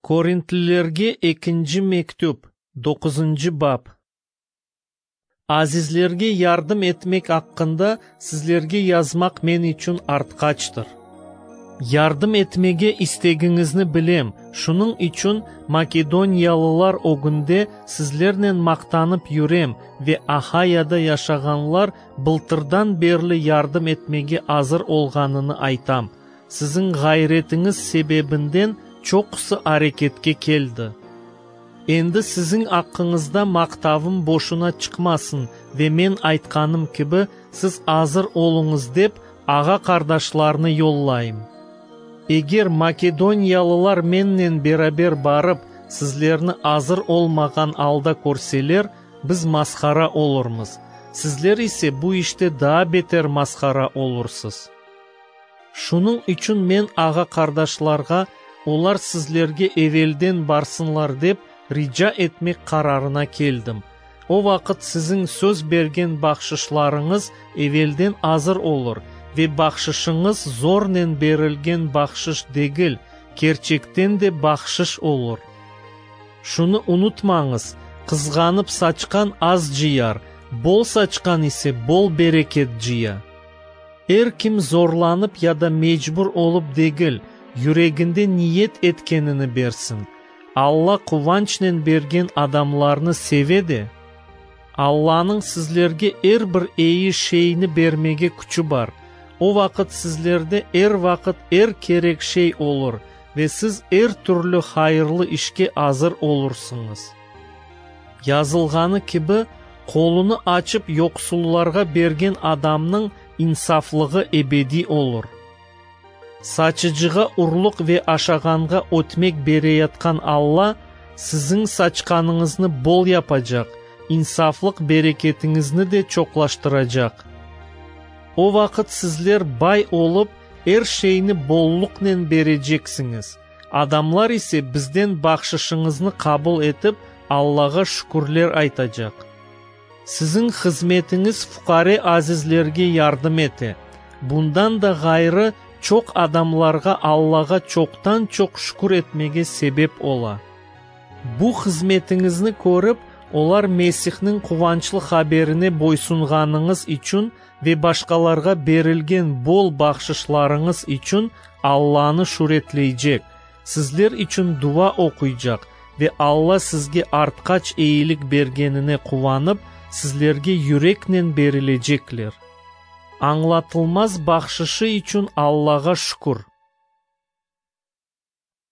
Korintlilerge ekinci mektüp, doquzıncı bap. Azizlerge yardım etmek aqqında sizlerge yazmaq men içün artqaçtır. Yardım etmege istegiñizni bilem, şunıñ içün makedoniyalılar ögünde sizlernen maqtanıp yürem ve Ahayada yaşağanlar bıltırdan berli yardım etmege azır olğanını aytam. Siziñ ğayretiñiz sebebinden çoqusı areketke keldi. Endi siziñ aqqıñızda maqtavım boşuna çıqmasın ve men aytqanım kibi, siz azır oluñız dep, ağa-qardaşlarnı yollayım. Eger makedoniyalılar mennen beraber barıp, sizlerni azır olmağan alda körseler, biz mashara olurmız, sizler ise bu işte daa beter mashara olursız. Şunıñ içün men ağa-qardaşlarğa, olar sizlerge evelden barsınlar dep, rica etmek qararına keldim. O vaqıt siziñ söz bergen bahşışlarıñız evelden azır olur ve bahşışıñız zornen berilgen bahşış degil, kerçekten de bahşış olur. Şunı unutmañız, qızğanıp saçqan az cıyar, bol saçqan ise bol bereket cıya. Er kim zorlanıp ya da mecbur olıp degil, yüreginde niyet etkenini bersin. Alla quvançnen bergen adamlarnı seve de. Allanıñ sizlerge er bir eyi şeyni bermege küçü bar. O vaqıt sizlerde er vaqıt er kerek şey olur ve siz er türlü hayırlı işke azır olursıñız. Yazılğanı kibi, Qolunı açıp yoqsullarğa bergen adamnıñ insaflığı ebediy olur. Saçıcığa urluq ve aşağanğa ötmek bereyatqan Alla, siziñ saçqanıñıznı bol yapacaq, insaflıq bereketiñizni de çoqlaştıracaq. O vaqıt sizler bay olıp, er şeyni bolluqnen bereceksiñiz, adamlar ise bizden bahşışıñıznı qabul etip, Allağa şükürler aytacaq. Siziñ hızmetiñiz fuqare azizlerge yardım ete. Bundan da ğayrı, çoq adamlarğa Allağa çoqtan-çoq şükür etmege sebep ola. Bu hızmetiñizni körip, olar Mesihniñ quvançlı haberine boysunğanıñız içün ve başqalarğa berilgen bol bahşışlarıñız içün Allanı şüretleycek, sizler içün dua oquycaq ve Alla sizge artqaç eyilik bergenine quvanıp, sizlerge yüreknen berilecekler. Añlatılmaz bahşışı içün Allağa şükür!